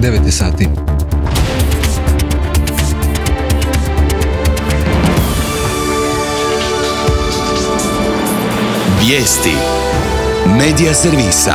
9 sati. Vijesti Medija servisa.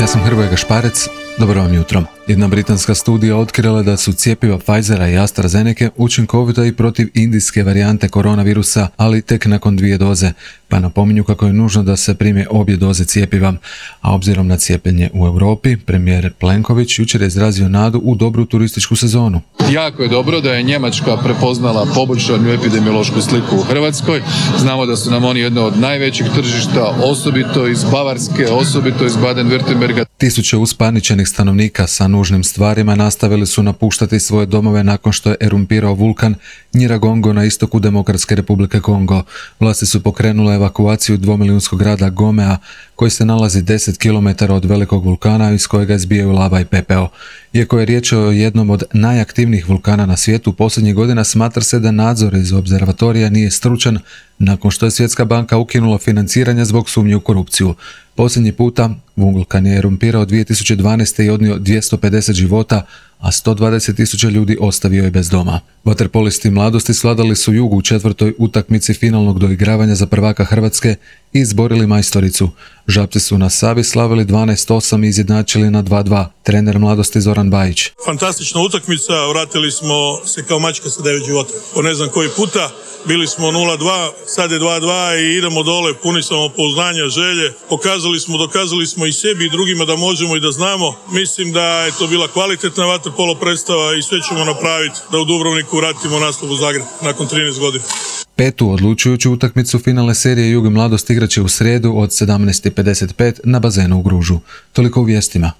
Ja sam Hrvoje Gašparec, dobro vam jutro. Jedna britanska studija otkrila da su cjepiva Pfizera i AstraZenece učinkovita i protiv indijske varijante koronavirusa, ali tek nakon 2 doze, pa napominju kako je nužno da se prime obje doze cjepiva. A obzirom na cijepljenje u Europi, premijer Plenković jučer je izrazio nadu u dobru turističku sezonu. Jako je dobro da je Njemačka prepoznala poboljšanu epidemiološku sliku u Hrvatskoj. Znamo da su nam oni jedno od najvećih tržišta, osobito iz Bavarske, osobito iz Baden-Württemberga. Tisuće uspaničenih stanovnika sa nužnim stvarima nastavili su napuštati svoje domove nakon što je erumpirao vulkan Nyiragongo na istoku Demokratske Republike Kongo. Vlasti su pokrenule evakuaciju dvomilijunskog grada Gomea, koji se nalazi 10 km od velikog vulkana iz kojega izbijaju lava i pepeo. Iako je riječ o jednom od najaktivnijih vulkana na svijetu, posljednjih godina smatra se da nadzor iz observatorija nije stručan nakon što je Svjetska banka ukinula financiranje zbog sumnje u korupciju. Posljednji puta vulkan je erumpirao 2012. i odnio 250 života, a 120.000 ljudi ostavio je bez doma. Vaterpolisti mladosti svladali su Jugu u 4. utakmici finalnog doigravanja za prvaka Hrvatske i izborili majstoricu. Žabci su na Savi slavili 12-8 i izjednačili na 2-2. Trener mladosti Zoran Bajić. Fantastična utakmica, vratili smo se kao mačka sa 9 života. Po ne znam koji puta, bili smo 0-2, sad je 2-2 i idemo dole, puni samopouzdanja, želje. Dokazali smo i sebi i drugima da možemo i da znamo. Mislim da je to bila kvalitetna vaterpolo predstava i sve ćemo napraviti da u Dubrovniku vratimo naslov u Zagreb nakon 13 godina. 5. odlučujuću utakmicu finalne serije Jug i mladost igraće u srijedu od 17:55 na bazenu u Gružu. Toliko u vijestima.